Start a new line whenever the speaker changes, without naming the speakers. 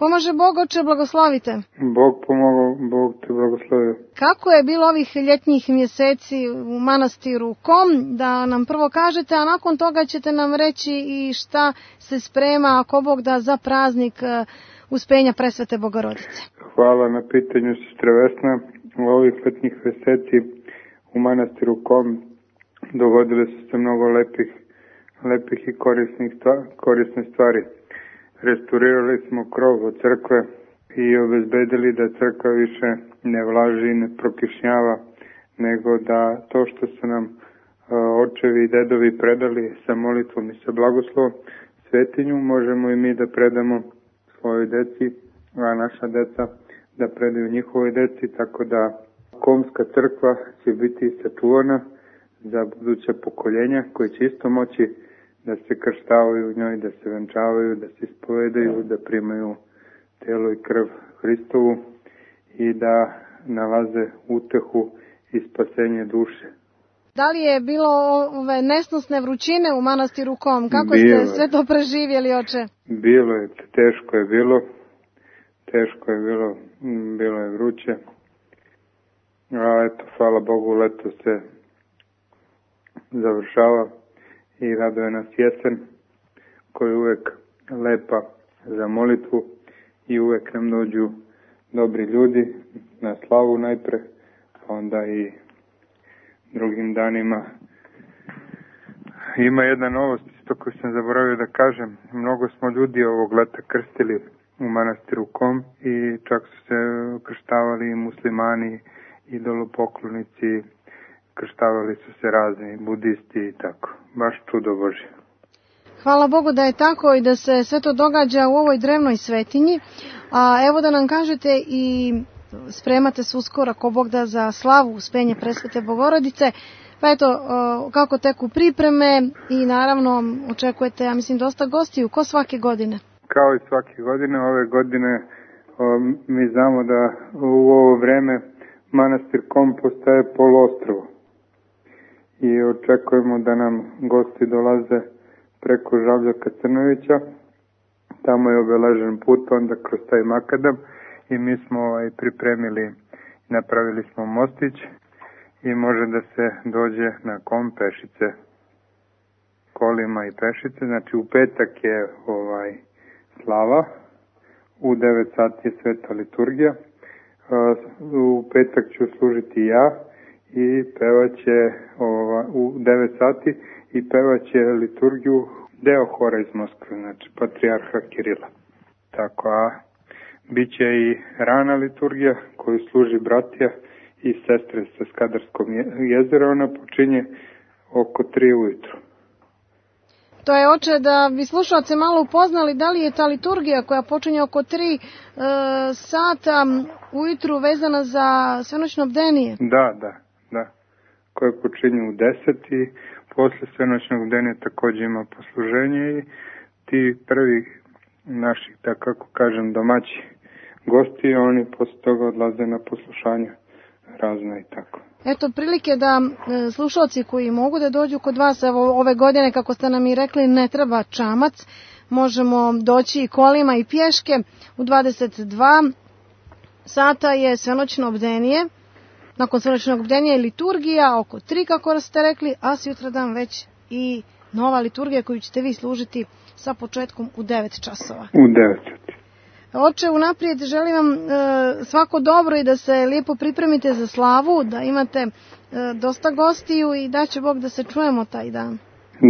Pomaže Bog, oče, blagoslovite.
Bog pomogao, Bog te blagoslovio.
Kako je bilo ovih ljetnjih mjeseci u manastiru Kom, da nam prvo kažete, a nakon toga ćete nam reći i šta se sprema, ako Bog da, za praznik Uspenja Presvete Bogorodice.
Hvala na pitanju, sestra Vesna. U ovih ljetnjih mjeseci u manastiru Kom dogodile su se mnogo lepih i korisnih stvari. Restaurirali smo krov od crkve i obezbedili da crkva više ne vlaži i ne prokišnjava, nego da to što su nam očevi i dedovi predali sa molitvom i sa blagoslovom svetinju, možemo i mi da predamo svojoj deci, a naša deca da predaju njihovoj deci, tako da Komska crkva će biti sačuvana za buduća pokoljenja koji će isto moći da se krštavaju u njoj, da se venčavaju, da se ispovedaju, da primaju telo i krv Hristovu i da nalaze utehu i spasenje duše.
Da li je bilo ove nesnosne vrućine u manastiru Kom? Kako ste sve to preživjeli, oče?
Bilo je, teško je bilo, bilo je vruće. A eto, hvala Bogu, leto se završava i raduje nas jesen, koja je uvek lepa za molitvu i uvek nam dođu dobri ljudi na slavu najpre, pa onda i drugim danima. Ima jedna novost isto koju sam zaboravio da kažem. Mnogo smo ljudi ovog leta krstili u manastiru Kom i čak su se krštavali i muslimani, idolopoklonici, krštavali su se razni budisti i tako. Baš čudo Božje.
Hvala Bogu da je tako i da se sve to događa u ovoj drevnoj svetinji. A evo da nam kažete i spremate se uskoro, ako Bog da, za slavu Uspenja Presvete Bogorodice. Pa eto, kako teku pripreme i naravno očekujete, ja mislim, dosta gostiju, ko svake godine?
Kao i svake godine, ove godine mi znamo da u ovo vreme manastir Kom postaje poluostrvo. I očekujemo da nam gosti dolaze preko Žabljaka Crnovića. Tamo je obeležen put, onda kroz taj makadam i mi smo pripremili, napravili smo mostić i može da se dođe na Kom pešice, kolima i pešice. Znači u petak je slava, u 9 sati je sveta liturgija, u petak ću služiti ja i pevaće u 9 sati i pevaće liturgiju deo hora iz Moskve, znači patrijarha Kirila. Tako, a bit će i rana liturgija koju služi bratija i sestre sa Skadarskog jezera. Ona počinje oko 3 ujutru.
To je, oče, da bi slušalce malo upoznali, da li je ta liturgija koja počinje oko 3 sata ujutru vezana za svenoćno bdenije?
Da. Koje počinje u 10 i posle svenoćnog bdenja također ima posluženje i ti prvi naši, da kako kažem, domaći gosti, oni posle toga odlaze na poslušanje razna i tako.
Eto, prilike da slušalci koji mogu da dođu kod vas, evo ove godine, kako ste nam i rekli, ne treba čamac, možemo doći i kolima i pješke. U 22 sata je svenoćno bdenije, nakon svenoćnog bdenja je liturgija, oko 3, kako ste rekli, a sutradan već i nova liturgija koju ćete vi služiti sa početkom u 9 časova.
U 9 sati.
Oče, unaprijed želim vam svako dobro i da se lijepo pripremite za slavu, da imate dosta gostiju i da će Bog da se čujemo taj dan.